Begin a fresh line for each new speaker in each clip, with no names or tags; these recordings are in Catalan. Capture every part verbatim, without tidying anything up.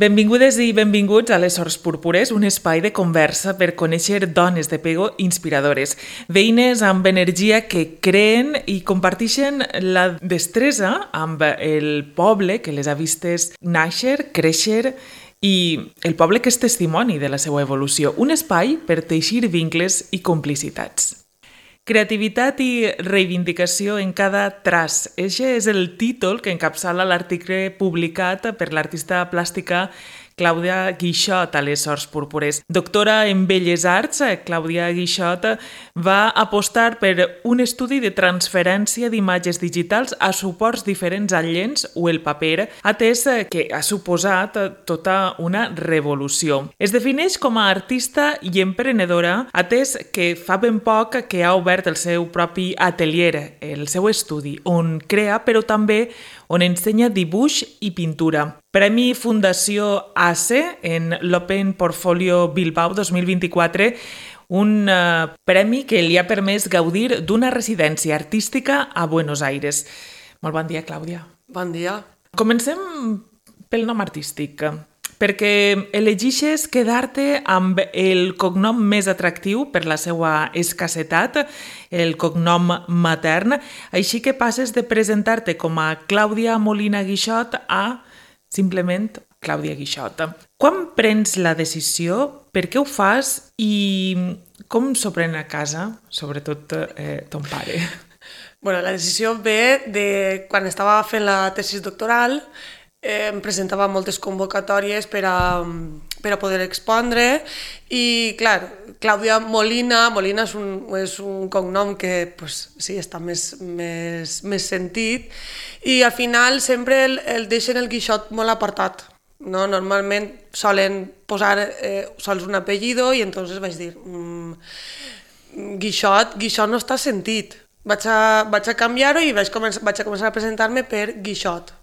Benvingudes i benvinguts a Les Sors Púrpures, un espai de conversa per conèixer dones de pego inspiradores, veïnes amb energia que creen i comparteixen la destresa amb el poble que les ha vistes nàixer, créixer i el poble que és testimoni de la seva evolució, un espai per teixir vincles i complicitats. Creativitat i reivindicació en cada traç. Eixe és el títol que encapçala l'article publicat per l'artista plàstica Clàudia Guixot a Les Sors Púrpures. Doctora en Belles Arts, Clàudia Guixot va apostar per un estudi de transferència d'imatges digitals a suports diferents al llenç o el paper, atès que ha suposat tota una revolució. Es defineix com a artista i emprenedora, atès que fa ben poc que ha obert el seu propi atelier, el seu estudi, on crea, però també on ensenya dibuix i pintura. Premi Fundació A C E en l'Open Portfolio Bilbao dos mil vint-i-quatre, un uh, premi que li ha permès gaudir d'una residència artística a Buenos Aires. Molt bon dia, Clàudia.
Bon dia.
Comencem pel nom artístic, perquè elegixes quedar-te amb el cognom més atractiu per la seva escassetat, el cognom matern, així que passes de presentar-te com a Clàudia Molina Guixot a simplement Clàudia Guixot. Quan prens la decisió, per què ho fas i com s'ho pren a casa, sobretot eh, ton pare?
Bueno, la decisió ve de quan estava fent la tesis doctoral, eh, em presentava moltes convocatòries per a, per a poder expondre i, clar, Clàudia Molina, Molina és un, és un cognom que pues, sí, està més, més, més sentit i al final sempre el, el deixen el Guixot molt apartat. No? Normalment solen posar eh, sols un apellido i entonces vaig dir mmm, Guixot, Guixot no està sentit. Vaig a, vaig a canviar-ho i vaig, començar, vaig a començar a presentar-me per Guixot.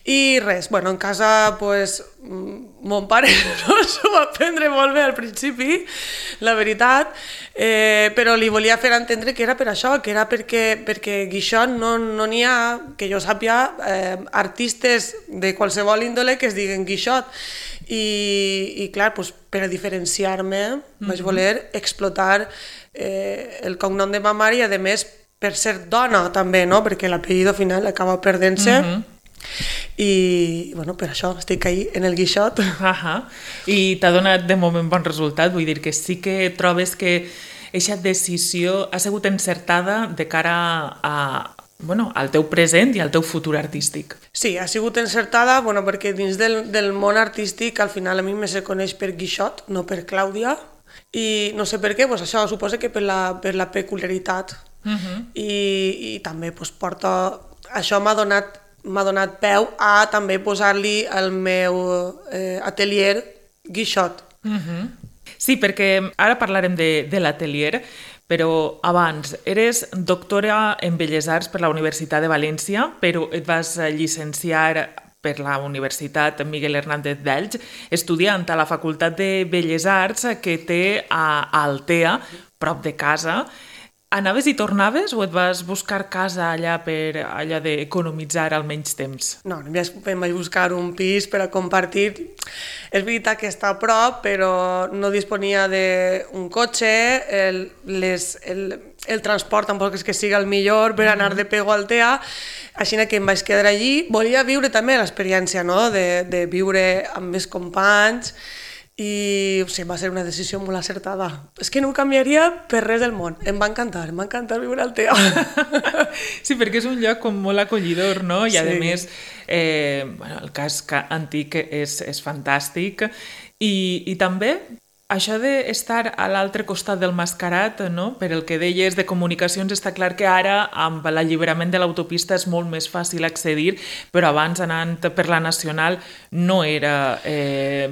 I res, bueno, en casa, pues, mon pare no s'ho va prendre molt bé al principi, la veritat, eh, però li volia fer entendre que era per això, que era perquè, perquè Guixot no n'hi no ha, que jo sàpiga, eh, artistes de qualsevol índole que es diguen Guixot. I, i clar, pues, per a diferenciar-me, mm-hmm. vaig voler explotar eh, el cognom de ma mare i, a més, per ser dona també, no? Perquè l'apellido final acaba perdent-se. Mm-hmm. I bueno, per això estic ahí en el Guixot.
Uh-huh. I t'ha donat de moment bon resultat, vull dir que sí que trobes que aquesta decisió ha sigut encertada de cara a, bueno, al teu present i al teu futur artístic.
Sí, ha sigut encertada, bueno, perquè dins del, del món artístic al final a mi me se coneix per Guixot, no per Clàudia, i no sé per què, pues això suposa que per la, per la peculiaritat. Uh-huh. I, i també pues, porta... Això m'ha donat m'ha donat peu a també posar-li el meu eh, atelier Guixot.
Uh-huh. Sí, perquè ara parlarem de, de l'atelier, però abans eres doctora en Belles Arts per la Universitat de València, però et vas llicenciar per la Universitat Miguel Hernández d'Elx, estudiant a la Facultat de Belles Arts que té a Altea, prop de casa. Anaves i tornaves o et vas buscar casa allà per allà d'economitzar almenys temps?
No, em vaig buscar un pis per a compartir. És veritat que està a prop, però no disponia d'un cotxe, el, les, el, el transport tampoc és que sigui el millor per anar de Pego a Altea, així que em vaig quedar allí. Volia viure també l'experiència, no? de, de viure amb més companys, i o sigui, va ser una decisió molt acertada. És que no ho canviaria per res del món. Em va encantar, em va encantar viure al Altea.
Sí, perquè és un lloc com molt acollidor, no? I a
sí.
més, eh, bueno, el casc antic és, és fantàstic. I, i també això d'estar a l'altre costat del Mascarat, no? Per el que deies de comunicacions, està clar que ara amb l'alliberament de l'autopista és molt més fàcil accedir, però abans anant per la Nacional no era eh,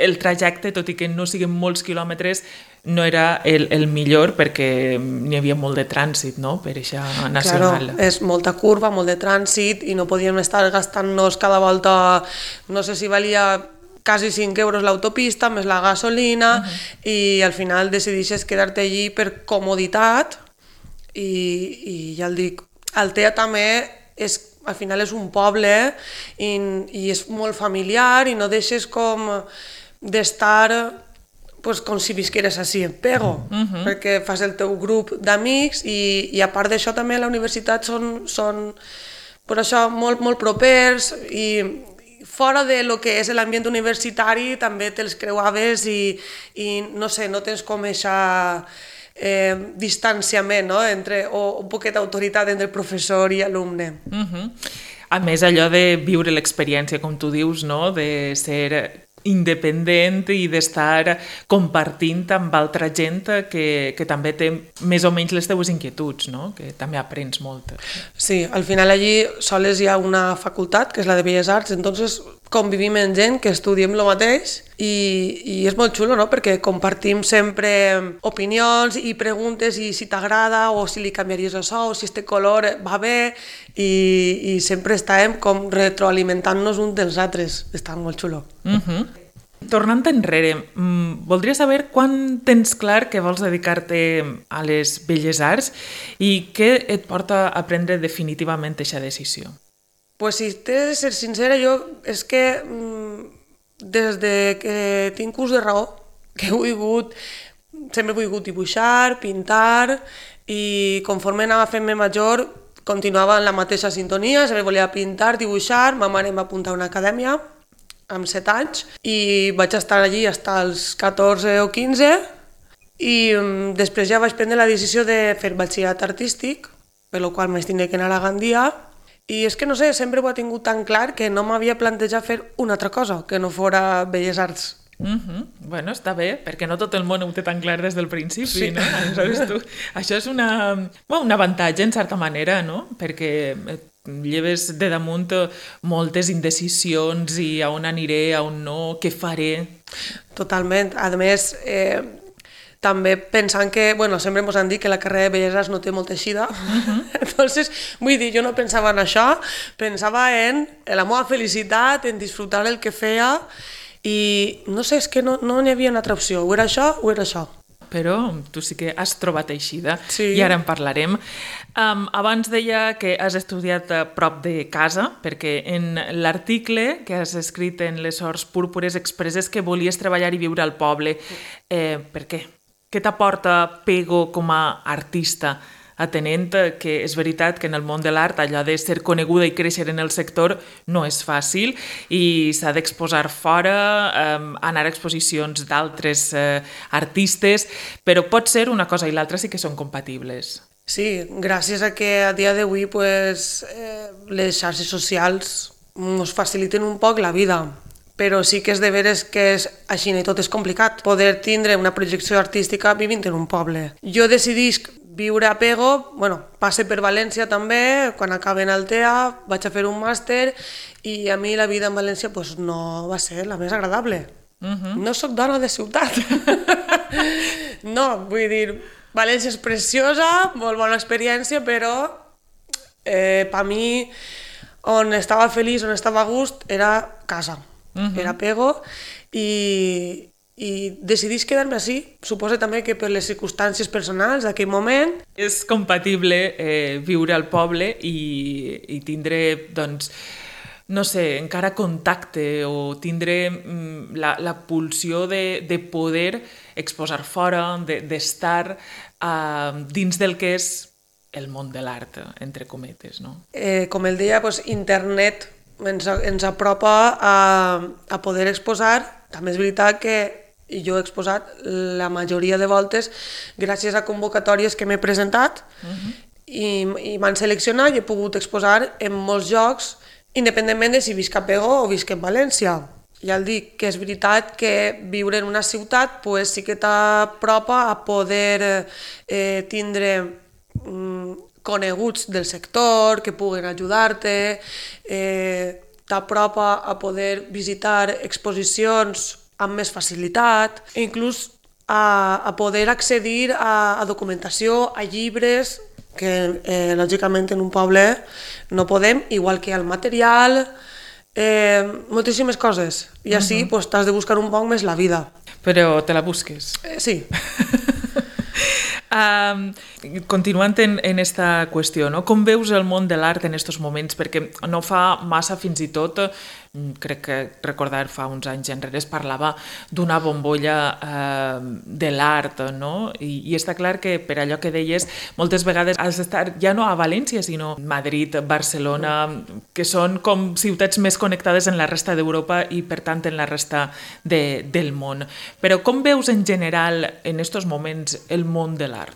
el trajecte, tot i que no siguin molts quilòmetres, no era el, el millor perquè n'hi havia molt de trànsit, no? Per eixa Nacional.
Claro, és molta curva, molt de trànsit i no podíem estar gastant-nos cada volta, no sé si valia quasi cinc euros l'autopista, més la gasolina, uh-huh. i al final decideixes quedar-te allí per comoditat i, i ja el dic, Altea també és al final és un poble i, i és molt familiar i no deixes com d'estar pues, com si visqueres així en Pego, uh-huh. perquè fas el teu grup d'amics i, i a part d'això també a la universitat són, són per això molt, molt propers i fora de lo que és l'ambient universitari també te'ls creuaves i, i no sé, no tens com eixa eh, distanciament, no? Entre, o un poquet d'autoritat entre professor i alumne.
Uh-huh. A més, allò de viure l'experiència, com tu dius, no? De ser independent i d'estar compartint amb altra gent que, que també té més o menys les teves inquietuds, no? Que també aprens molt.
Sí, al final allí sols hi ha una facultat, que és la de Belles Arts, entonces convivim amb gent que estudiem el mateix i, i és molt xulo, no? Perquè compartim sempre opinions i preguntes i si t'agrada o si li canviaries això o si este color va bé i, i sempre estàvem com retroalimentant-nos un dels altres. Està molt xulo.
Uh-huh. Tornant enrere, voldria saber quan tens clar que vols dedicar-te a les Belles Arts i què et porta a prendre definitivament aquesta decisió?
Pues si t'he de ser sincera, jo és que des de que tinc ús de raó, que he volgut, sempre he volgut dibuixar, pintar i conforme anava fent-me major continuava en la mateixa sintonia, sempre volia pintar, dibuixar, ma mare em va apuntar a una acadèmia amb set anys i vaig estar allí fins als catorze o quinze i um, després ja vaig prendre la decisió de fer batxillerat artístic, per la qual vaig tindre que anar a Gandia i és que no sé, sempre ho he tingut tan clar que no m'havia plantejat fer una altra cosa que no fora Belles Arts.
Uh-huh. Bueno, està bé, perquè no tot el món ho té tan clar des del principi, sí. No? Aleshores, tu, això és una, bueno, un avantatge en certa manera, no? Perquè lleves de damunt moltes indecisions i a on aniré, a on no, què faré.
Totalment. A més, eh, també pensant que, bueno, sempre ens han dit que la carrera de Belles Arts no té molta eixida, uh-huh. Entonces, vull dir, jo no pensava en això, pensava en la meva felicitat, en disfrutar el que feia i no sé, és que no, no n'hi havia una altra opció, o era això o era això.
Però tu sí que has trobat eixida,
sí.
I ara en parlarem. Um, abans deia que has estudiat a prop de casa, perquè en l'article que has escrit en les Sors Púrpures expresses que volies treballar i viure al poble. Eh, per què? Què t'aporta Pego com a artista? Atenent que és veritat que en el món de l'art allò de ser coneguda i créixer en el sector no és fàcil i s'ha d'exposar fora, eh, anar a exposicions d'altres eh, artistes, però pot ser una cosa i l'altra sí que són compatibles.
Sí, gràcies a que a dia d'avui pues, eh, les xarxes socials ens faciliten un poc la vida, però sí que és de veres que és així i tot és complicat poder tindre una projecció artística vivint en un poble. Jo decidisc viure a Pego, bueno, passe per València també, quan acaben el T E A vaig a fer un màster i a mi la vida en València pues, no va ser la més agradable. Uh-huh. No sóc dona de ciutat. No, vull dir, València és preciosa, molt bona experiència, però eh, per mi on estava feliç, on estava a gust, era casa, uh-huh. Era Pego i... i decidís quedar-me així. Suposo també que per les circumstàncies personals d'aquell moment.
És compatible eh, viure al poble i, i tindre, doncs, no sé, encara contacte o tindre mm, la, la pulsió de, de poder exposar fora, d'estar eh, dins del que és el món de l'art, entre cometes, no?
Eh, com el deia, doncs, internet ens, ens apropa a, a poder exposar. També és veritat que i jo he exposat la majoria de voltes gràcies a convocatòries que m'he presentat uh-huh. i, i m'han seleccionat i he pogut exposar en molts llocs independentment de si visc a Pego o visc en València. Ja el dic que és veritat que viure en una ciutat pues, sí que t'apropa a poder eh, tindre mm, coneguts del sector que puguen ajudar-te, eh, t'apropa a poder visitar exposicions amb més facilitat, inclús a, a poder accedir a, a documentació, a llibres, que eh, lògicament en un poble no podem, igual que al material, eh, moltíssimes coses. I així uh-huh. pues, t'has de buscar un poc més la vida.
Però te la busques.
Eh, sí.
Um, continuant en, en esta qüestió, no? Com veus el món de l'art en aquests moments? Perquè no fa massa, fins i tot, crec que recordar fa uns anys enrere es parlava d'una bombolla eh, de l'art, no? I, I està clar que per allò que deies, moltes vegades has d'estar ja no a València, sinó Madrid, Barcelona, que són com ciutats més connectades en la resta d'Europa i per tant en la resta de, del món. Però com veus en general en aquests moments el món de l'art?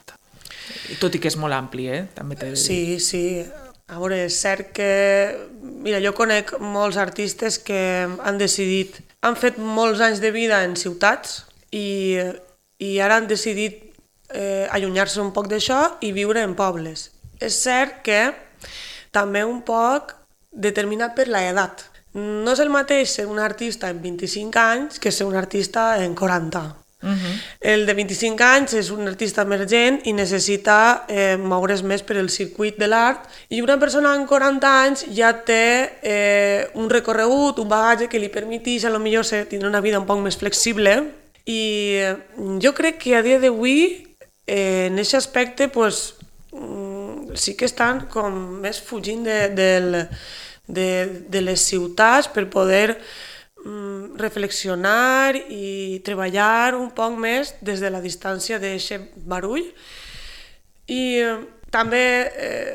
Tot i que és molt ampli, eh? També t'he de dir.
Sí, sí. A veure, és cert que... Mira, jo conec molts artistes que han decidit... Han fet molts anys de vida en ciutats i, i ara han decidit eh, allunyar-se un poc d'això i viure en pobles. És cert que també un poc determinat per l'edat. No és el mateix ser un artista en vint-i-cinc anys que ser un artista en quaranta. Uh-huh. El de vint-i-cinc anys és un artista emergent i necessita eh, moure's més per el circuit de l'art, i una persona amb quaranta anys ja té eh, un recorregut, un bagatge que li permeteix a lo millor ser, tindre una vida un poc més flexible, i eh, jo crec que a dia d'avui eh, en aquest aspecte pues, mm, sí que estan com més fugint de, de, de, de les ciutats per poder reflexionar i treballar un poc més des de la distància d'aquest barull. I eh, també eh,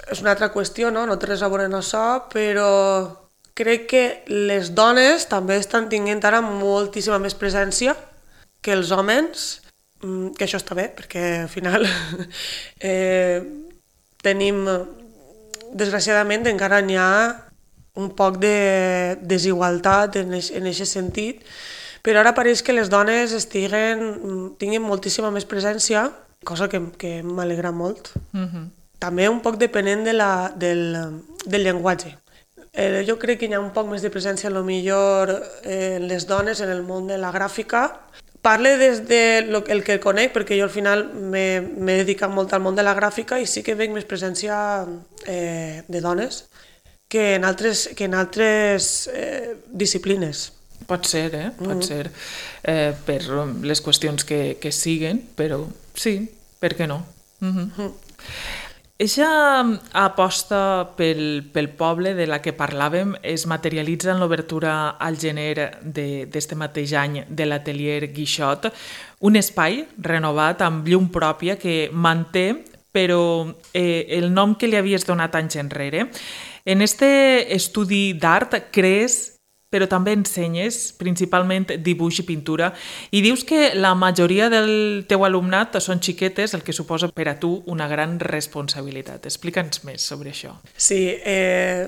és una altra qüestió, no? No té res a veure amb això, però crec que les dones també estan tinguent ara moltíssima més presència que els homes, que això està bé, perquè al final eh, tenim, desgraciadament, encara n'hi ha un poc de desigualtat en aquest sentit, però ara pareix que les dones estiguen, tinguin moltíssima més presència, cosa que, que m'alegra molt. Uh-huh. També un poc depenent de la, del, del llenguatge. Eh, jo crec que hi ha un poc més de presència, a lo millor, eh, en les dones en el món de la gràfica. Parle des de lo, el que conec, perquè jo al final m'he dedicat molt al món de la gràfica i sí que veig més presència eh, de dones que en altres, que en altres eh, disciplines.
Pot ser, eh? Pot mm. ser. Eh, per les qüestions que, que siguen, però sí, per què no? Mm-hmm. Mm. Eixa aposta pel, pel poble de la que parlàvem es materialitza en l'obertura al gener d'este mateix any de l'atelier Guixot, un espai renovat amb llum pròpia que manté, però eh, el nom que li havies donat anys enrere. En este estudi d'art crees, però també ensenyes principalment dibuix i pintura, i dius que la majoria del teu alumnat són xiquetes, el que suposa per a tu una gran responsabilitat. Explica'ns més sobre això.
Sí, eh,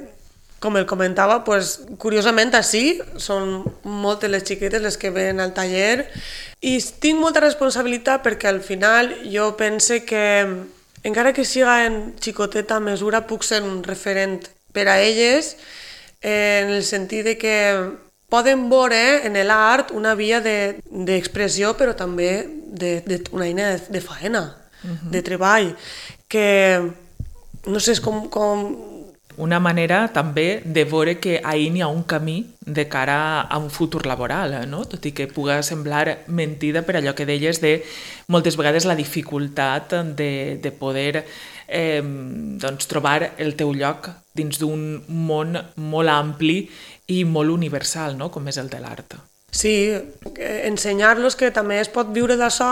com el comentava, pues, curiosament així, són moltes les xiquetes les que venen al taller, i tinc molta responsabilitat perquè al final jo pense que, encara que siga en xicoteta mesura, puc ser un referent per a elles, en el sentit de que poden veure en l'art una via d'expressió, però també de, de, una eina de, de faena, uh-huh. de treball, que no sé, és com, com...
Una manera també de veure que ahir n'hi ha un camí de cara a un futur laboral, no? Tot i que puga semblar mentida per allò que deies de moltes vegades la dificultat de, de poder eh, doncs, trobar el teu lloc dins d'un món molt ampli i molt universal, no? Com és el de l'art.
Sí, ensenyar-los que també es pot viure d'això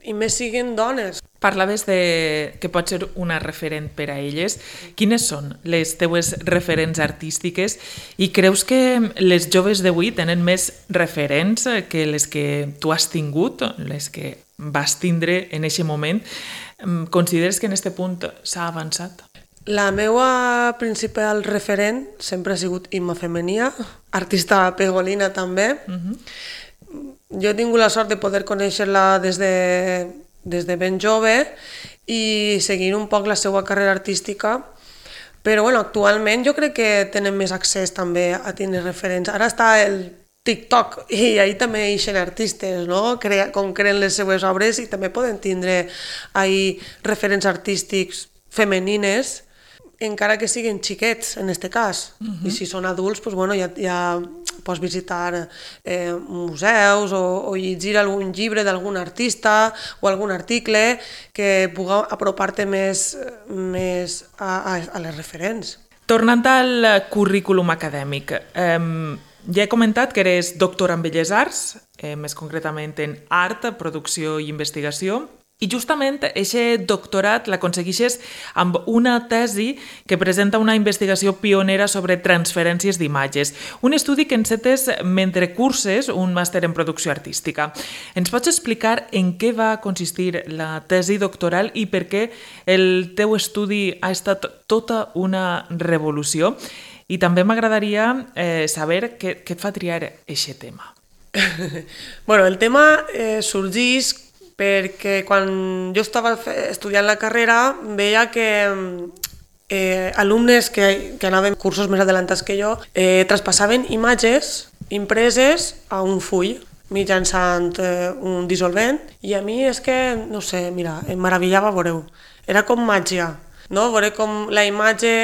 i més siguin dones.
Parlaves de que pot ser una referent per a elles. Quines són les teues referents artístiques i creus que les joves d'avui tenen més referents que les que tu has tingut, les que vas tindre en aquest moment? Consideres que en aquest punt s'ha avançat?
La meva principal referent sempre ha sigut Imma Femenia, artista pegolina també. Uh-huh. Jo he tingut la sort de poder conèixer-la des de, des de ben jove i seguir un poc la seva carrera artística, però bueno, actualment jo crec que tenen més accés també a tenir referents. Ara està el TikTok i ahí també ixen artistes, no? Crea, com creen les seues obres, i també poden tindre ahí referents artístics femenines. encara que siguin xiquets, en aquest cas. Uh-huh. I si són adults, doncs, bueno, ja, ja pots visitar eh, museus o, o llegir algun llibre d'algun artista o algun article que pugui apropar-te més, més a, a, a les referents.
Tornant al currículum acadèmic, eh, ja he comentat que eres doctora en Belles Arts, eh, més concretament en art, producció i investigació, i justament aquest doctorat l'aconsegueixes amb una tesi que presenta una investigació pionera sobre transferències d'imatges, un estudi que encetes mentre curses un màster en producció artística. Ens pots explicar en què va consistir la tesi doctoral i per què el teu estudi ha estat tota una revolució? I també m'agradaria eh, saber què, què et fa triar aquest tema.
bueno, el tema eh, sorgeix perquè quan jo estava estudiant la carrera veia que eh, alumnes que, que anaven cursos més adelantats que jo eh, traspassaven imatges impreses a un full mitjançant eh, un dissolvent i a mi és que, no sé, mira, em meravellava veure-ho. Era com màgia, no? Veure com la imatge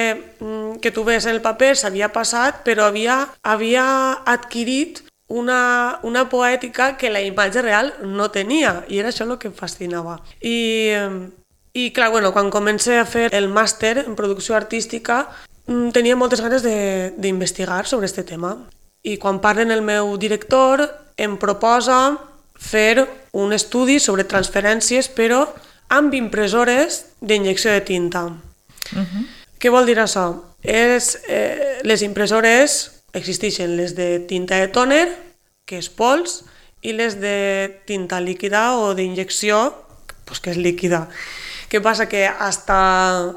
que tu ves en el paper s'havia passat però havia, havia adquirit Una, una poètica que la imatge real no tenia, i era això el que em fascinava. I, i clar, bueno, quan comencé a fer el màster en producció artística, tenia moltes ganes d'investigar sobre aquest tema. I quan parlen el meu director, em proposa fer un estudi sobre transferències, però amb impressores d'injecció de tinta. Uh-huh. Què vol dir això? És, eh, les impressores existeixen les de tinta de tòner, que és pols, i les de tinta líquida o d'injecció, pues que és líquida. Què passa? Que hasta,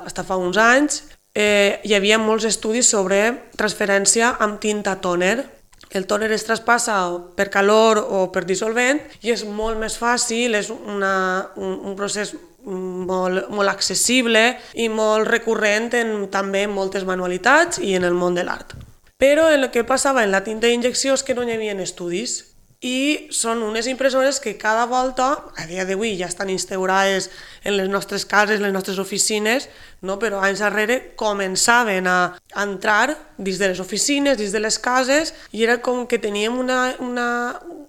hasta fa uns anys eh, hi havia molts estudis sobre transferència amb tinta tòner. El tòner es traspassa per calor o per dissolvent i és molt més fàcil, és una, un, un procés molt, molt accessible i molt recurrent en, també en moltes manualitats i en el món de l'art. Però el que passava en la tinta d'injecció és que no hi havia estudis i són unes impressores que cada volta, a dia d'avui ja estan instaurades en les nostres cases, en les nostres oficines, no? Però anys darrere començaven a entrar dins de les oficines, dins de les cases, i era com que teníem una, una,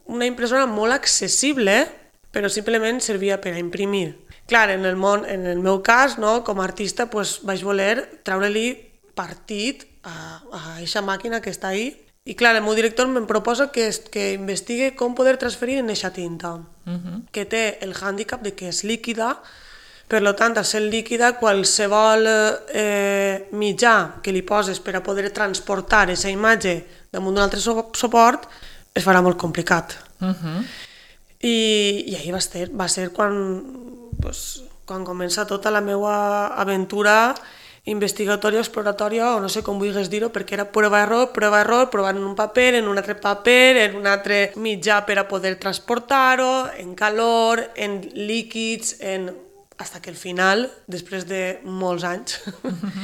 una impressora molt accessible, però simplement servia per a imprimir. Clar, en el, món, en el meu cas, no? Com a artista, pues, vaig voler treure-li partit a aquesta màquina que està ahí. I clar, el meu director em proposa que, que investigue com poder transferir en aquesta tinta, uh-huh. que té el hàndicap de que és líquida, per tant, al ser líquida, qualsevol eh, mitjà que li poses per a poder transportar aquesta imatge damunt d'un altre suport es farà molt complicat. Uh-huh. I, i ahir va ser, va ser quan, pues, quan comença tota la meva aventura investigatòria, exploratòria, o no sé com vulguis dir-ho, perquè era prova-error, prova-error, provant en un paper, en un altre paper, en un altre mitjà per a poder transportar-ho, en calor, en líquids, en... hasta que al final, després de molts anys, uh-huh.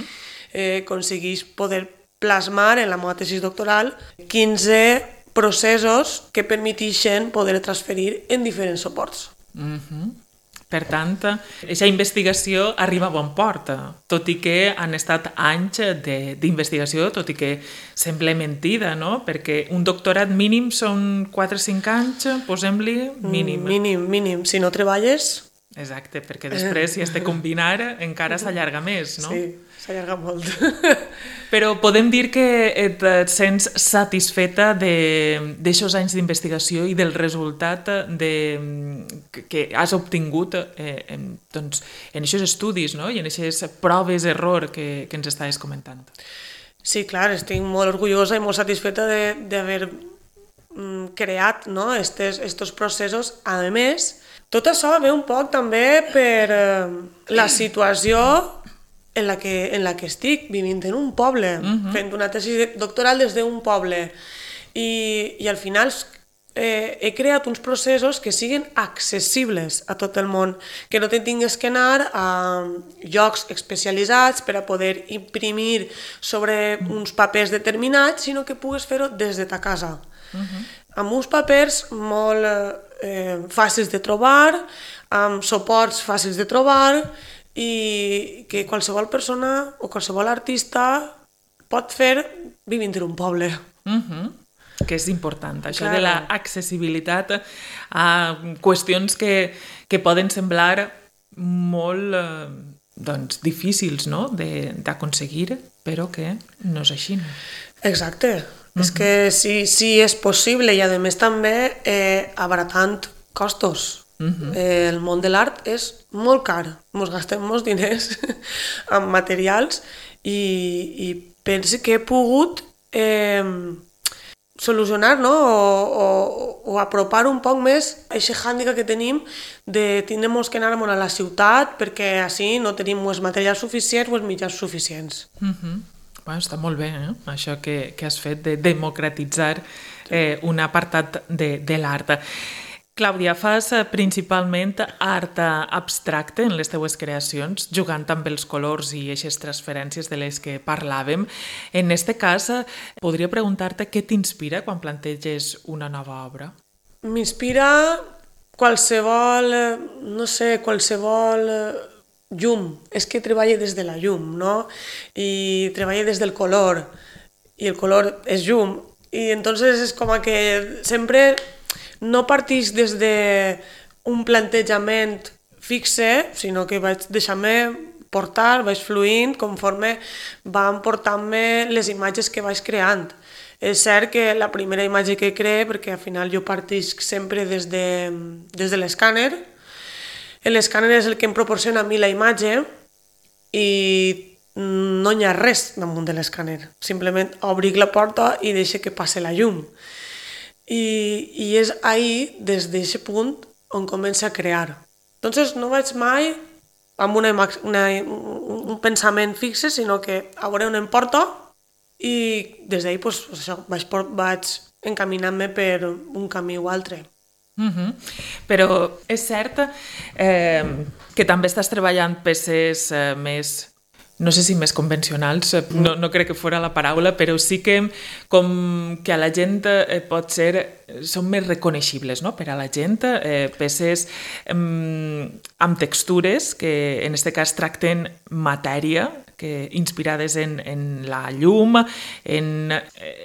eh, aconseguís poder plasmar en la meva tesi doctoral quinze processos que permetixen poder transferir en diferents suports.
Uh-huh. Per tant, aquesta investigació arriba a bon port, tot i que han estat anys d'investigació, tot i que sembla mentida, no? Perquè un doctorat mínim són quatre o cinc anys, posem-li mínim.
Mínim, mínim. Si no treballes...
Exacte, perquè després, si has de combinar, encara s'allarga més, no?
Sí, s'allarga molt.
Però podem dir que et sents satisfeta d'aixòs anys d'investigació i del resultat de, que has obtingut eh, en, doncs, en aquests estudis, no? I en aquestes proves d'error que, que ens estaves comentant.
Sí, clar, estic molt orgullosa i molt satisfeta d'haver mm, creat, no? estes, estos processos. A més, tot això ve un poc també per eh, la situació en la, que, en la que estic, vivint en un poble, uh-huh. fent una tesi doctoral des d'un poble. I, i al final eh, he creat uns processos que siguin accessibles a tot el món, que no te tingues que anar a llocs especialitzats per a poder imprimir sobre uns papers determinats, sinó que pugues fer-ho des de ta casa. Uh-huh. Amb uns papers molt eh, fàcils de trobar, amb suports fàcils de trobar, i que qualsevol persona o qualsevol artista pot fer vivint en un poble.
Uh-huh. Que és important, això
Claro.
de l'accessibilitat a qüestions que, que poden semblar molt eh, doncs, difícils, no?, de- d'aconseguir, però que no és així.
Exacte. És que sí, sí és possible i a més també eh, abaratant costos. Eh, el món de l'art és molt car. Ens gastem molts diners en materials i, i penso que he pogut eh, solucionar, no? o, o, o apropar un poc més aquest hàndicap que tenim de tindre que anar a la ciutat perquè així no tenim els materials suficients o els mitjans suficients.
Uh-huh. Bueno, està molt bé, eh? Això que, que has fet de democratitzar eh, un apartat de, de l'art. Clàudia, fas eh, principalment art abstracte en les teues creacions, jugant amb els colors i aquestes transferències de les que parlàvem. En este cas, eh, podria preguntar-te què t'inspira quan planteges una nova obra?
M'inspira qualsevol, eh, no sé, qualsevol eh, llum. És que treballa des de la llum, no? I treballa des del color. I el color és llum. I entonces és com que sempre no partix des d'un plantejament fixe, sinó que vaig deixar-me portar, vaig fluint conforme van portant-me les imatges que vaig creant. És cert que la primera imatge que cree, perquè al final jo partisc sempre des de, des de l'escàner, l'escàner és el que em proporciona a mi la imatge i no hi ha res damunt de l'escàner. Simplement obric la porta i deixo que passi la llum. I, i és ahir, des d'aquest punt, on comença a crear. Entonces no vaig mai amb una, una, un pensament fixe, sinó que a veure on em porta i des d'ahir pues, això, vaig, vaig encaminant-me per un camí o altre.
Uh-huh. Però és cert eh, que també estàs treballant peces eh, més, no sé si més convencionals, no, no crec que fora la paraula, però sí que com que a la gent eh, pot ser, són més reconeixibles, no?, per a la gent, eh, peces eh, amb textures que en aquest cas tracten matèria, que inspirades en, en la llum, en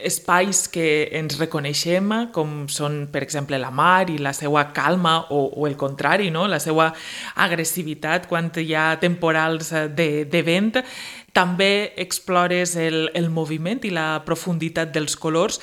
espais que ens reconeixem, com són, per exemple, la mar i la seva calma, o, o el contrari, no?, la seva agressivitat quan hi ha temporals de, de vent. També explores el, el moviment i la profunditat dels colors.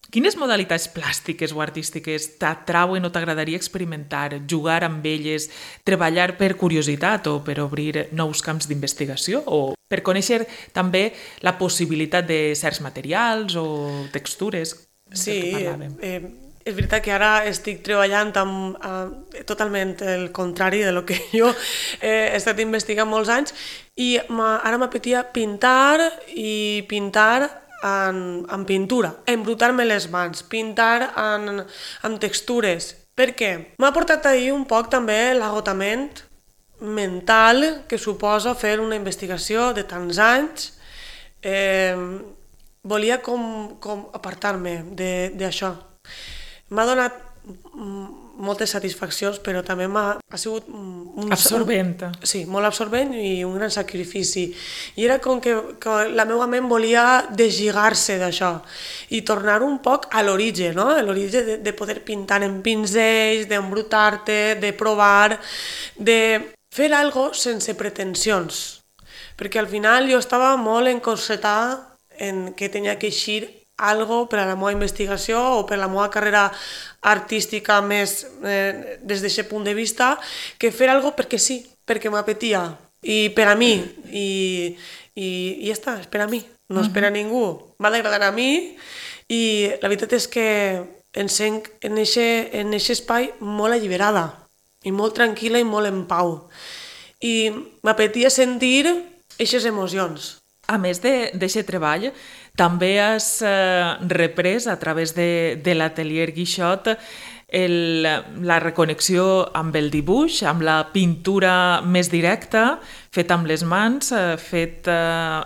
Quines modalitats plàstiques o artístiques t'atrauen o t'agradaria experimentar, jugar amb elles, treballar per curiositat o per obrir nous camps d'investigació o per conèixer també la possibilitat de certs materials o textures?
Sí, eh, és veritat que ara estic treballant amb eh, totalment el contrari de lo que jo eh, he estat investigant molts anys i ara m'apetia pintar i pintar En, en pintura, embrutar-me les mans, pintar en, en textures. Per què? M'ha portat ahir un poc també l'agotament mental que suposa fer una investigació de tants anys. Eh, volia com, com apartar-me d'això. M'ha donat moltes satisfaccions, però també m'ha ha sigut... Un,
absorbent.
Un, sí, molt absorbent i un gran sacrifici. I era com que, que la meva ment volia deslligar-se d'això i tornar un poc a l'origen, no? A l'origen de, de poder pintar en pinzells, d'embrutar-te, de provar, de fer algo sense pretensions. Perquè al final jo estava molt encorsetada en que tenia que eixir algo per a la meva investigació o per a la meva carrera artística més eh, des d'aquest punt de vista, que fer algo perquè sí, perquè m'apetia i per a mi i, i, i ja està, és per a mi, no és per a ningú, m'ha d'agradar a mi i la veritat és que em sent en aquest espai molt alliberada i molt tranquil·la i molt en pau i m'apetia sentir aquestes emocions.
A més d'aquest treball, també has eh, reprès a través de, de l'atelier Guixot el, la reconnexió amb el dibuix, amb la pintura més directa, feta amb les mans, eh, feta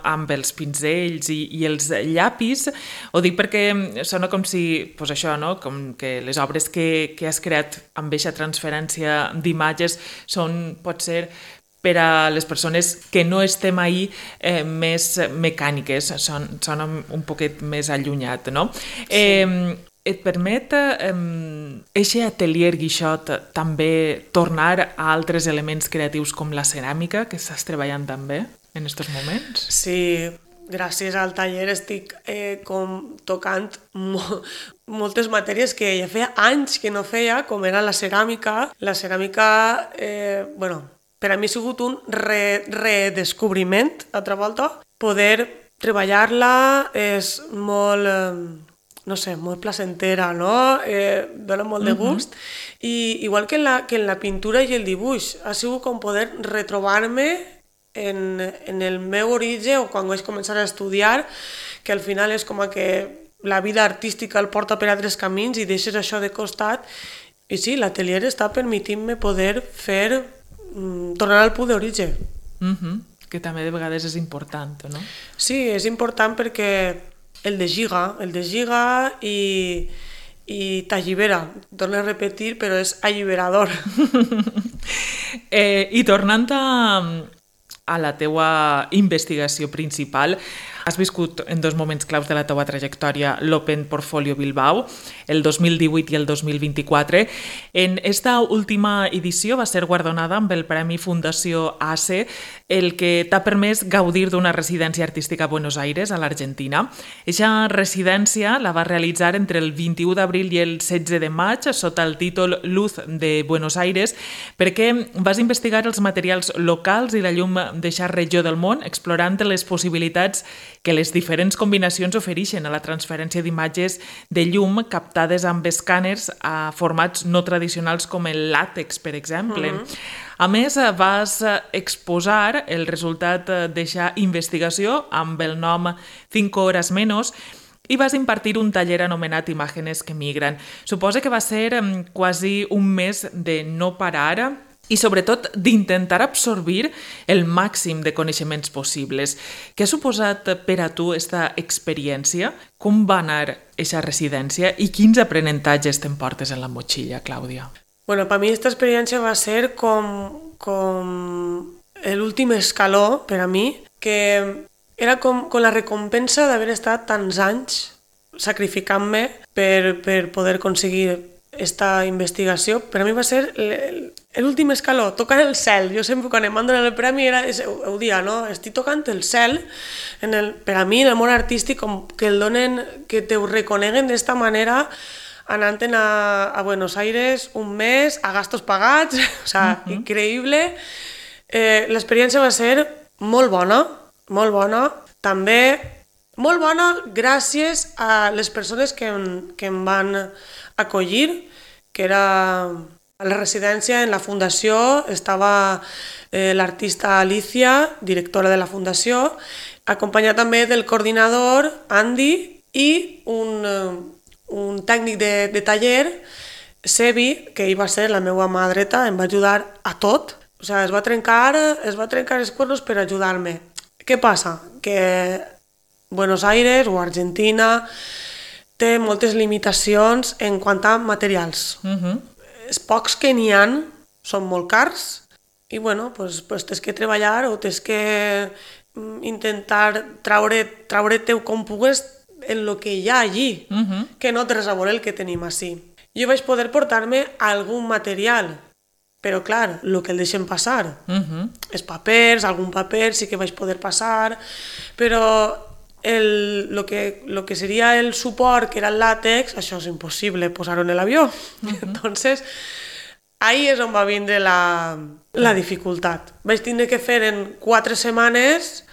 amb els pinzells i, i els llapis. Ho dic perquè sona com si, pues això, no? Com que les obres que, que has creat amb aquesta transferència d'imatges són, pot ser, per a les persones que no estem ahí eh, més mecàniques, són, són un poquet més allunyat, no? Sí. Eh, et permet aquest eh, atelier Guixot també tornar a altres elements creatius com la ceràmica, que estàs treballant també en aquests moments?
Sí, gràcies al taller estic eh, com tocant mo moltes matèries que ja feia anys que no feia, com era la ceràmica. La ceràmica, eh, bueno, per a mi ha sigut un re redescobriment, altra volta. Poder treballar és molt, eh, no sé, molt placentera, no? Eh, dona molt de gust. Uh-huh. I igual que en, la, que en la pintura i el dibuix, ha sigut com poder retrobar-me en, en el meu origen o quan vaig començar a estudiar, que al final és com que la vida artística el porta per altres camins i deixes això de costat. I sí, l'atelier està permetint-me poder fer, mm, tornar al punt d'origen.
Uh-huh. Que també de vegades és important, no?
Sí, és important perquè el deslliga, el deslliga i, i t'allibera. Torno a repetir, però és alliberador.
eh, I tornant a, a la teua investigació principal, has viscut en dos moments claus de la teua trajectòria l'Open Portfolio Bilbao, el dos mil divuit i el dos mil vint-i-quatre. En esta última edició va ser guardonada amb el Premi Fundació A C E, el que t'ha permès gaudir d'una residència artística a Buenos Aires, a l'Argentina. Eixa residència la va realitzar entre el vint-i-u d'abril i el setze de maig sota el títol Luz de Buenos Aires, perquè vas investigar els materials locals i la llum d'eixa regió del món, explorant les possibilitats que les diferents combinacions ofereixen a la transferència d'imatges de llum captades amb escàners a formats no tradicionals com el làtex, per exemple. Uh-huh. A més, vas exposar el resultat d'eixa investigació amb el nom Cinco Horas Menos i vas impartir un taller anomenat Imágenes que migran. Suposa que va ser quasi un mes de no parar i sobretot d'intentar absorbir el màxim de coneixements possibles. Què ha suposat per a tu aquesta experiència? Com va anar aquesta residència i quins aprenentatges t'emportes en la motxilla, Clàudia?
Bueno, per mi aquesta experiència va ser com, com l'últim escaló per a mi, que era com, com la recompensa d'haver estat tants anys sacrificant-me per, per poder aconseguir aquesta investigació. Per a mi va ser l'últim escaló, tocar el cel. Jo sempre quan em van donar el premi era, és, ho, ho dia, no? Estic tocant el cel. En el, per a mi, en el món artístic, com que el donen, que te ho reconeguen d'esta manera, anant a, a Buenos Aires un mes, a gastos pagats, o sea, uh-huh. increïble. Eh, l'experiència va ser molt bona, molt bona. També molt bona gràcies a les persones que, que em van acollir, que era a la residència, en la fundació, estava eh, l'artista Alicia, directora de la fundació, acompanyada també del coordinador, Andy, i un, un tècnic de, de taller, Sebi, que ell va ser la meva mà dreta, em va ajudar a tot. O sigui, es va trencar, es va trencar els cuernos per ajudar-me. Què passa? Que Buenos Aires o Argentina té moltes limitacions en quant a materials. Uh-huh. Els pocs que n'hi ha són molt cars i bueno, pues, pues tens que treballar o tens que intentar traure, traure teu com pugues en el que hi ha allí, uh-huh. que no té res a veure el que tenim ací. Jo vaig poder portar-me algun material, però clar, el que el deixen passar. Uh-huh. Els papers, algun paper sí que vaig poder passar, però El, lo, que, lo que sería el suport, que era el látex, això és impossible posar-ho en l'avió. Uh-huh. Entonces, ahí és on va vindre la, la dificultat. Vaig tindre que fer en quatre setmanes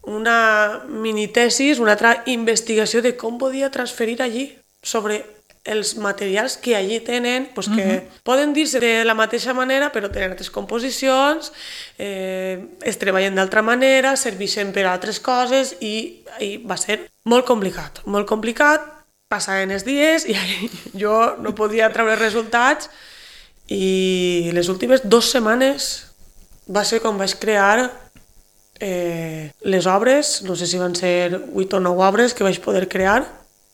una minitesis, una altra investigació de com podia transferir allí sobre els materials que allí tenen, pues que uh-huh. poden dir-se de la mateixa manera, però tenen altres composicions, eh, es treballen d'altra manera, serveixen per a altres coses i, i va ser molt complicat. Molt complicat, passaven els dies i jo no podia treure resultats i les últimes dues setmanes va ser quan vaig crear eh, les obres, no sé si van ser vuit o nou obres que vaig poder crear,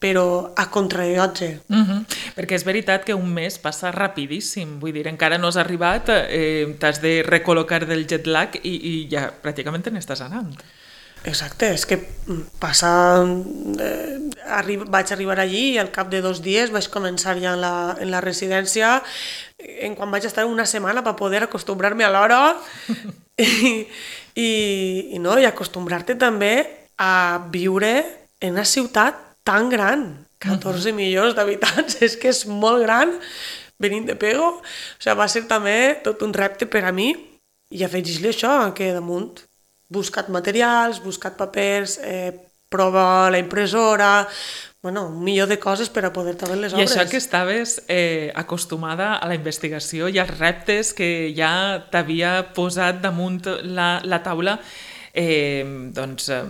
però a contrarrellotge.
Uh -huh. Perquè és veritat que un mes passa rapidíssim, vull dir, encara no has arribat, eh, t'has de recol·locar del jet lag i, i ja pràcticament te n'estàs anant.
Exacte, és que passa... Eh, arri vaig arribar allí i al cap de dos dies vaig començar ja en la, en la residència, en quan vaig estar una setmana per poder acostumbrar-me a l'hora i, i, i, no, i acostumbrar-te també a viure en una ciutat tan gran, catorze uh-huh. milions d'habitants, és que és molt gran, venint de Pego, o sigui, va ser també tot un repte per a mi, i afegir-li això, que damunt buscat materials, buscat papers, eh, prova la impressora, bueno, un milió de coses per a poder treballar les obres.
I això que estaves eh, acostumada a la investigació i als reptes que ja t'havia posat damunt la, la taula, eh, doncs... Eh,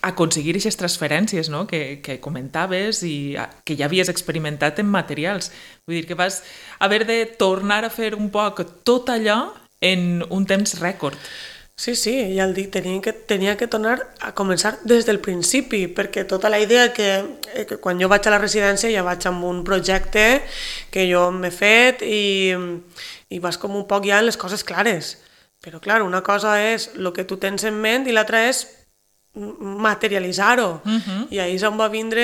aconseguir aquestes transferències, no?, que, que comentaves i que ja havies experimentat en materials. Vull dir que vas haver de tornar a fer un poc tot allò en un temps rècord.
Sí, sí, ja el dic, tenia que, tenia que tornar a començar des del principi, perquè tota la idea que, que quan jo vaig a la residència ja vaig amb un projecte que jo m'he fet i, i vas com un poc ja en les coses clares. Però clar, una cosa és el que tu tens en ment i l'altra és materialitzar-ho. Uh-huh. I ahir és on va vindre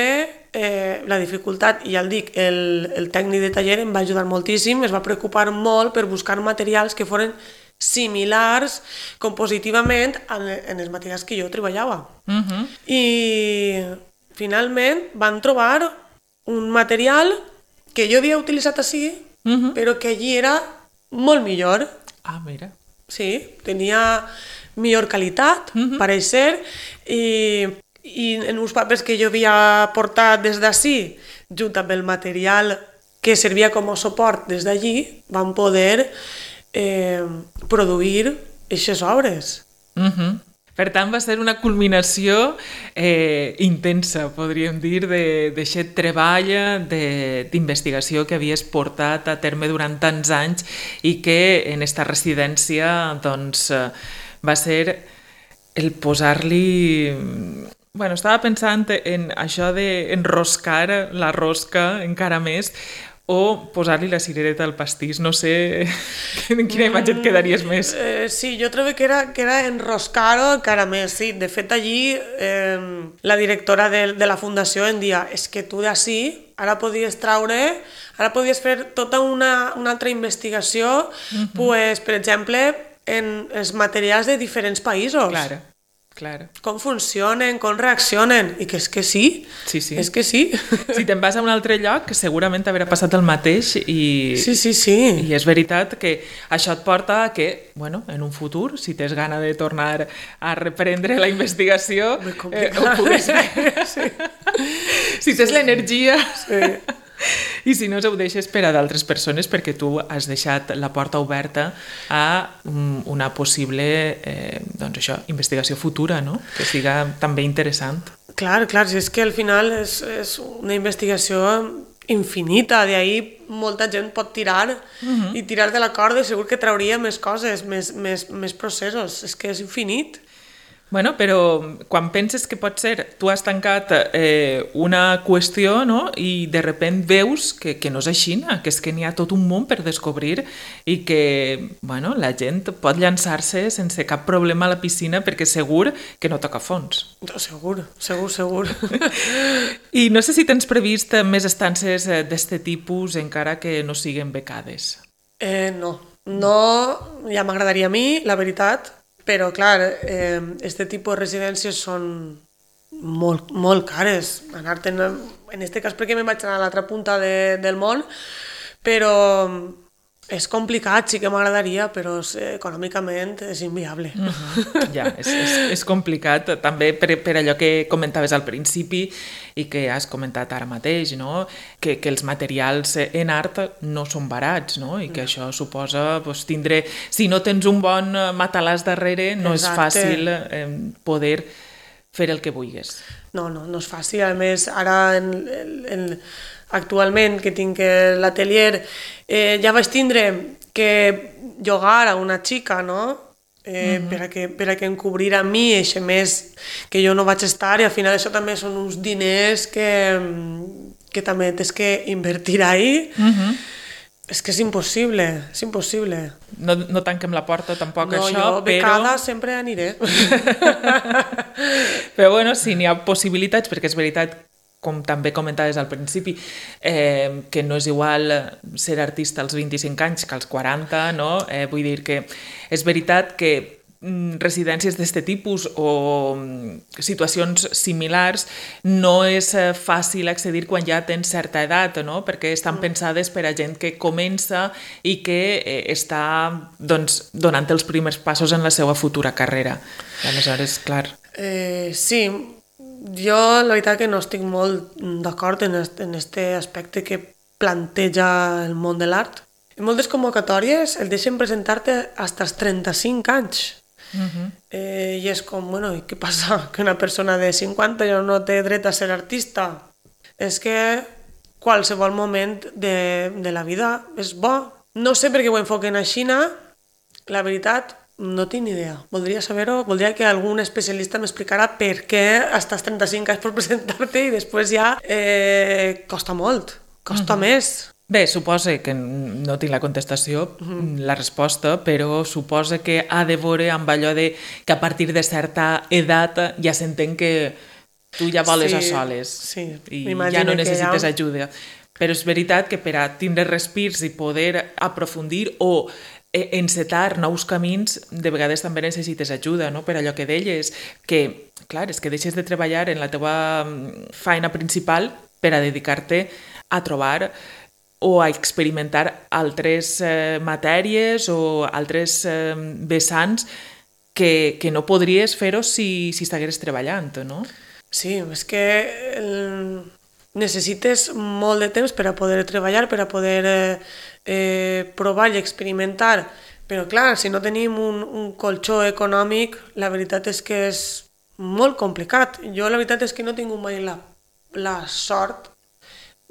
eh, la dificultat, i ja el dic, el, el tècnic de taller em va ajudar moltíssim, es va preocupar molt per buscar materials que foren similars compositivament en, en els materials que jo treballava. Uh-huh. I finalment van trobar un material que jo havia utilitzat així, uh-huh. però que allí era molt millor.
Ah, mira.
Sí, tenia millor qualitat, uh-huh. pareix ser, i, i en uns papers que jo havia portat des d'ací, junt amb el material que servia com a suport des d'allí, van poder eh, produir aquestes obres.
Uh-huh. Per tant, va ser una culminació eh, intensa, podríem dir, d'aquest treball d'investigació que havies portat a terme durant tants anys i que en esta residència doncs, va ser el posar-li... Bueno, estava pensant en això d'enroscar la rosca encara més o posar-li la cirereta al pastís. No sé en quina imatge et quedaries més.
Mm, eh, sí, jo trobo que era, que era enroscar-ho encara més, sí. De fet, allí eh, la directora de, de la fundació em dia és que tu d'ací ara podies traure, ara podies fer tota una, una altra investigació, uh-huh. pues, per exemple, en els materials de diferents països.
Claro. Claro.
Com funcionen, com reaccionen, i que és que sí,
sí, sí.
és que sí.
Si te'n vas a un altre lloc, segurament t'haurà passat el mateix i,
sí, sí, sí.
i és veritat que això et porta a que, bueno, en un futur, si tens gana de tornar a reprendre la investigació, eh, ho puguis fer. Sí. Si tens l'energia... Sí. I si no, ho deixes per a d'altres persones perquè tu has deixat la porta oberta a una possible eh, doncs això, investigació futura, no? Que siga també interessant.
Clar, clar, si és que al final és, és una investigació infinita, d'ahir molta gent pot tirar uh-huh. i tirar de la corda i segur que trauria més coses, més, més, més processos, és que és infinit.
Bueno, però quan penses que pot ser, tu has tancat eh, una qüestió, no?, i de repent veus que, que no és així, que és que n'hi ha tot un món per descobrir i que, bueno, la gent pot llançar-se sense cap problema a la piscina perquè segur que no toca fons.
No, segur, segur, segur.
I no sé si tens previst més estances d'este tipus encara que no siguen becades.
Eh, no, no, ja m'agradaria a mi, la veritat. Però, clar, eh, este tipus de residències són molt, molt cares. Anar-te'n, en este cas perquè me vaig anar a l'altra punta de, del món, però és complicat, sí que m'agradaria, però eh, econòmicament és inviable.
Uh-huh. Ja, és, és, és complicat, també per, per allò que comentaves al principi i que has comentat ara mateix, no? que, que els materials en art no són barats, no? I que no. Això suposa pues, tindre... Si no tens un bon matalàs darrere, no Exacte. És fàcil eh, poder fer el que vulguis.
No, no, no és fàcil. A més, ara en, en, actualment que tinc l'atelier, eh, ja vaig tindre que llogar a una xica, no? eh, mm-hmm. per, a que, per a que encobrir a mi eixe mes que jo no vaig estar, i al final això també són uns diners que, que també tens que invertir ahí. Mm-hmm. És que és impossible, és impossible.
No, no tanquem la porta tampoc
no,
això,
jo,
però...
becada sempre aniré.
Però bueno, sí, n'hi ha possibilitats, perquè és veritat, com també comentaves al principi, eh, que no és igual ser artista als vint-i-cinc anys que als quaranta, no? Eh, vull dir que és veritat que residències d'aquest tipus o situacions similars no és fàcil accedir quan ja tens certa edat, no? Perquè estan pensades per a gent que comença i que eh, està doncs, donant els primers passos en la seva futura carrera. I aleshores, clar...
Eh, sí, jo la veritat que no estic molt d'acord en aquest aspecte que planteja el món de l'art. En moltes convocatòries el deixen presentar-te fins als trenta-cinc anys. Uh-huh. eh, i és com, bueno, i què passa? Que una persona de cinquanta ja no té dret a ser artista? És que qualsevol moment de, de la vida és bo. No sé per què ho enfoquen a Xina, la veritat no tinc ni idea. Voldria saber-ho, voldria que algun especialista m'explicara per què fins als trenta-cinc anys per presentar-te i després ja eh, costa molt, costa uh-huh. més.
Bé, suposa que no tinc la contestació, uh-huh. la resposta, però suposa que ha de veure amb allò de que a partir de certa edat ja s'entén que tu ja voles
sí,
a soles
sí.
i ja no necessites
ja...
ajuda. Però és veritat que per a tindre respirs i poder aprofundir o encetar nous camins, de vegades també necessites ajuda, no? Per allò que deies, que, clar, és que deixes de treballar en la teva feina principal per a dedicar-te a trobar o a experimentar altres eh, matèries o altres eh, vessants que, que no podries fer-ho si, si estigueres treballant, no?
Sí, és que el... necessites molt de temps per a poder treballar, per a poder eh, eh, provar i experimentar, però clar, si no tenim un, un colxó econòmic, la veritat és que és molt complicat. Jo la veritat és que no he tingut mai la, la sort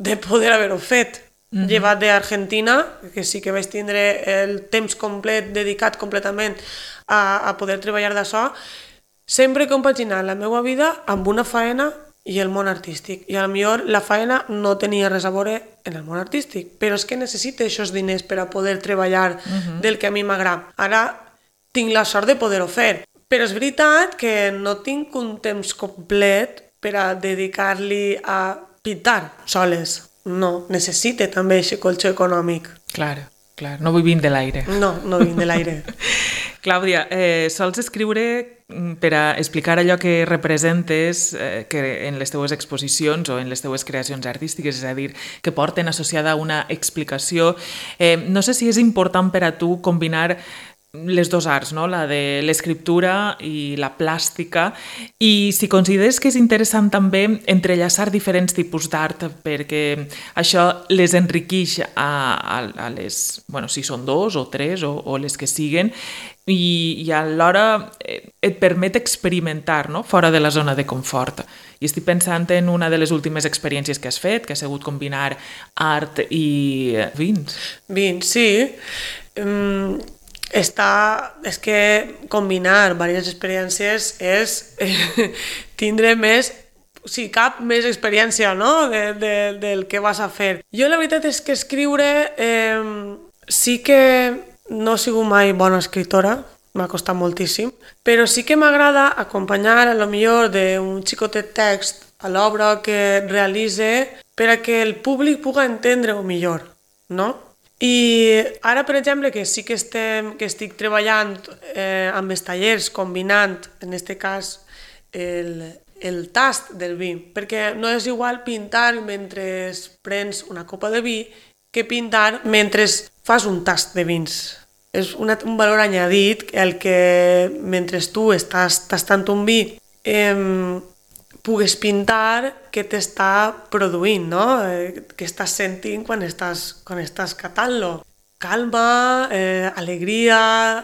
de poder haver-ho fet. Uh-huh. Llevat d'Argentina, que sí que vaig tindre el temps complet dedicat completament a, a poder treballar d'això, sempre he compaginat la meva vida amb una faena i el món artístic. I potser la faena no tenia res a veure en el món artístic, però és que necessito aquests diners per a poder treballar uh-huh. del que a mi m'agrada. Ara tinc la sort de poder-ho fer, però és veritat que no tinc un temps complet per a dedicar-li a pintar soles. No, necessite també aquest colxó econòmic.
Clar, clar, no vull vindre de l'aire.
No, no vinc de l'aire.
Clàudia, eh, sols escriure per a explicar allò que representes eh, que en les teues exposicions o en les teues creacions artístiques, és a dir, que porten associada una explicació. Eh, no sé si és important per a tu combinar les dos arts, no? La de l'escriptura i la plàstica, i si consideres que és interessant també entrellaçar diferents tipus d'art perquè això les enriqueix a, a, a les, bueno, si són dos o tres o, o les que siguen, i, i alhora et permet experimentar, no? Fora de la zona de confort. I estic pensant en una de les últimes experiències que has fet, que ha sigut combinar art i vins. Vins,
sí. Um... Està, és que combinar diverses experiències és eh, tindre més, si cap, més experiència, no? de, de, del que vas a fer. Jo la veritat és que escriure eh, sí que no he sigut mai bona escriptora, m'ha costat moltíssim, però sí que m'agrada acompanyar a lo millor d'un xicotet text a l'obra que realitze per a que el públic pugui entendre-ho millor, no? I ara, per exemple, que sí que, estem, que estic treballant eh, amb els tallers, combinant, en aquest cas, el, el tast del vi, perquè no és igual pintar mentre prens una copa de vi que pintar mentre fas un tast de vins. És una, un valor añadit el que mentre tu estàs tastant un vi eh, pugues pintar què t'està produint, no? Eh, què estàs sentint quan estàs, quan estàs catant-lo. Calma, eh, alegria...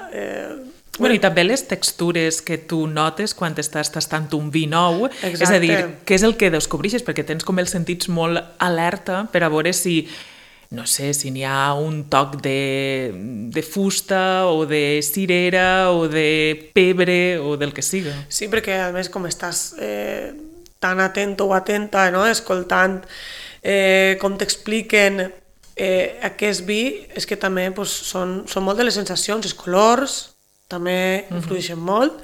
Eh,
bueno, i també les textures que tu notes quan estàs tastant un vi nou. Exacte. És a dir, què és el que descobreixes? Perquè tens com els sentits molt alerta per a veure si no sé, si n'hi ha un toc de, de fusta o de cirera o de pebre o del que siga.
Sí, perquè a més com estàs eh, tan atent o atenta, no? Escoltant eh, com t'expliquen eh, aquest vi, és que també pues, són, són molt de les sensacions, els colors també influeixen uh-huh. molt,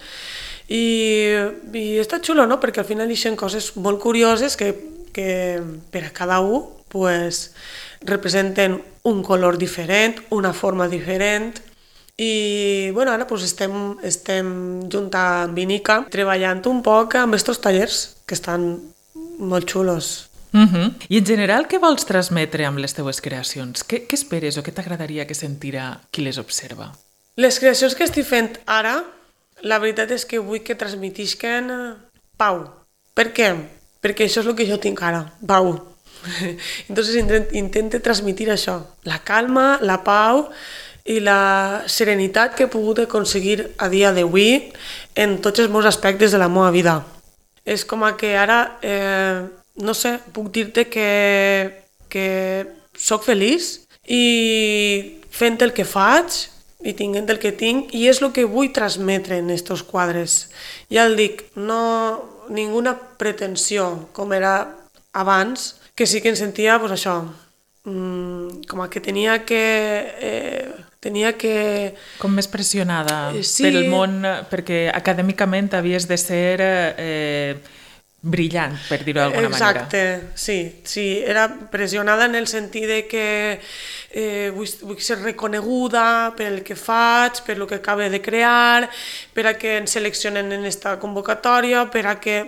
i, i està xulo, no? Perquè al final deixen coses molt curioses que, que per a cada un pues, representen un color diferent, una forma diferent, i bueno, ara pues, estem, estem junt amb Vinica treballant un poc amb aquests tallers que estan molt xulos.
Uh-huh. I en general, què vols transmetre amb les teues creacions? Què, què esperes o què t'agradaria que sentirà qui les observa?
Les creacions que estic fent ara, la veritat és que vull que transmetisquen pau. Per què? Perquè això és el que jo tinc ara, pau. Entonces intento transmitir això, la calma, la pau i la serenitat que he pogut aconseguir a dia d'avui en tots els meus aspectes de la meva vida. És com que ara, eh, no sé, puc dir-te que, que soc feliç i fent el que faig i tinguent el que tinc, i és el que vull transmetre en aquests quadres. Ja el dic, no ninguna pretensió com era abans, que sí que em sentia, pues això, mmm, com que tenia que... Eh, tenia que...
Com més pressionada
eh, sí.
pel món, perquè acadèmicament havies de ser eh, brillant, per dir-ho d'alguna manera.
Exacte, sí, sí, era pressionada en el sentit de que eh, vull, vull ser reconeguda per el que faig, per el que acabo de crear, per a que ens seleccionen en esta convocatòria, per a que...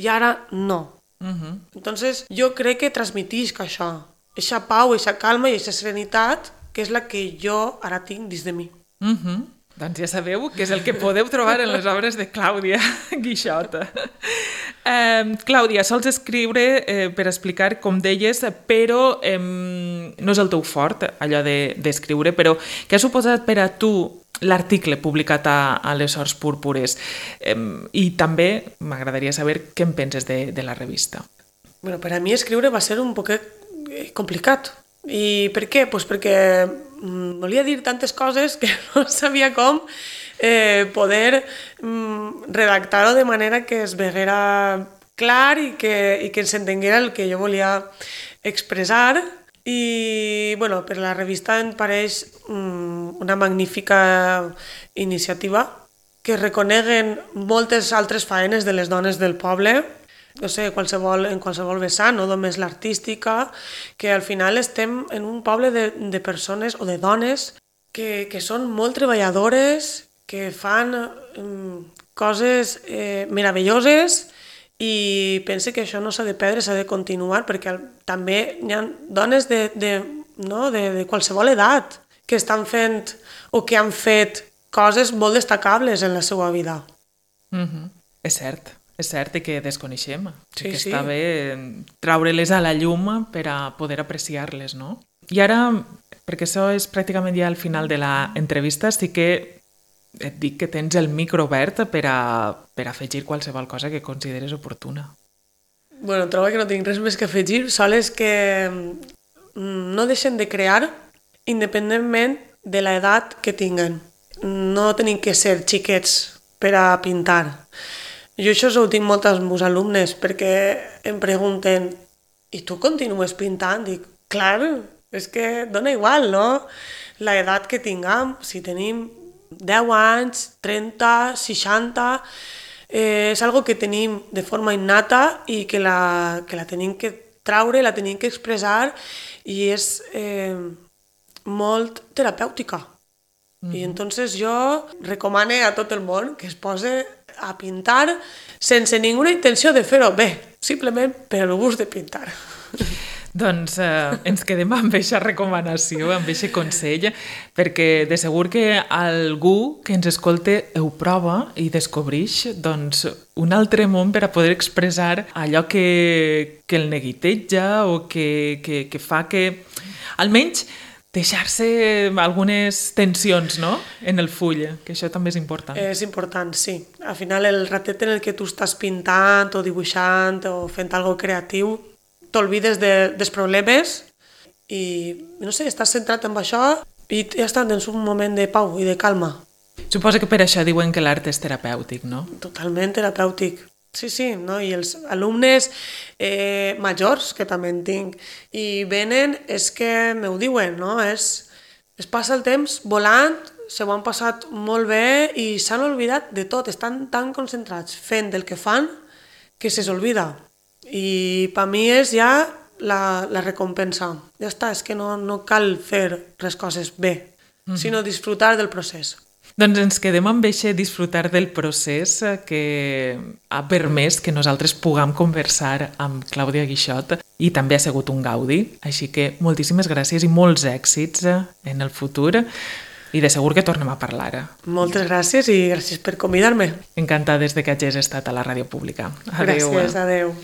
I ara no. Uh-huh. Entonces, jo crec que transmetisc això, eixa pau, eixa calma i eixa serenitat, que és la que jo ara tinc dins de mi.
Uh-huh. Doncs ja sabeu que és el que podeu trobar en les obres de Clàudia Guixota. Eh, Clàudia, sols escriure eh, per explicar, com deies, però eh, no és el teu fort, allò d'escriure, de, però què ha suposat per a tu l'article publicat a, a les Horts Púrpures? Eh, I també m'agradaria saber què en penses de, de la revista.
Bueno, per a mi escriure va ser un poquet complicat. I per què? Pues perquè mm, volia dir tantes coses que no sabia com eh, poder mm, redactar-ho de manera que es veguera clar i que, i que s'entenguera el que jo volia expressar. I bueno, per la revista em pareix mm, una magnífica iniciativa que reconeguen moltes altres faenes de les dones del poble, no sé, qualsevol, en qualsevol vessant, no només l'artística, que al final estem en un poble de, de persones o de dones que, que són molt treballadores, que fan um, coses eh, meravelloses, i pense que això no s'ha de perdre, s'ha de continuar, perquè també hi ha dones de, de, no, de, de qualsevol edat que estan fent o que han fet coses molt destacables en la seva vida.
Mm-hmm. És cert. És cert que desconeixem,
sí,
que
sí.
està bé traure-les a la llum per a poder apreciar-les, no? I ara, perquè això és pràcticament ja al final de l'entrevista, sí que et dic que tens el micro obert per a, per a afegir qualsevol cosa que consideres oportuna.
Bueno, trobo que no tinc res més que afegir, sols que no deixen de crear independentment de l'edat que tinguen. No tenim que ser xiquets per a pintar. Jo això ho tinc molt als meus alumnes, perquè em pregunten i tu continues pintant? Dic, clar, és que dona igual, no? L'edat que tinguem, si tenim deu anys, trenta, seixanta, eh, és algo que tenim de forma innata i que la, que la tenim que traure, la tenim que expressar, i és eh, molt terapèutica. Mm-hmm. I entonces jo recomano a tot el món que es posi a pintar sense ninguna intenció de fer-ho bé, simplement per el gust de pintar.
Doncs eh, ens quedem amb aquesta recomanació, amb aquest consell, perquè de segur que algú que ens escolte ho prova i descobreix doncs, un altre món per a poder expressar allò que, que el neguiteja o que, que, que fa que almenys deixar-se algunes tensions, no?, en el full, que això també és important.
És important, sí. Al final, el ratet en el que tu estàs pintant o dibuixant o fent alguna cosa creatiu, t'olvides de, dels problemes i no sé, estàs centrat en això i ja està, tens un moment de pau i de calma.
Suposo que per això diuen que l'art és terapèutic, no?
Totalment terapèutic. Sí, sí, no? I els alumnes eh, majors, que també en tinc, i venen, és que m'ho diuen, no? És, es passa el temps volant, se ho han passat molt bé i s'han oblidat de tot, estan tan concentrats fent el que fan que se s'olvida. I per mi és ja la, la recompensa. Ja està, és que no, no cal fer les coses bé, mm-hmm. sinó disfrutar del procés.
Doncs ens quedem amb eixe disfrutar del procés que ha permès que nosaltres puguem conversar amb Clàudia Guixot i també ha sigut un gaudi. Així que moltíssimes gràcies i molts èxits en el futur i de segur que tornem a parlar.
Moltes gràcies i gràcies per convidar-me.
Encantades de que hagis estat a la ràdio pública. Adéu.
Gràcies, adéu.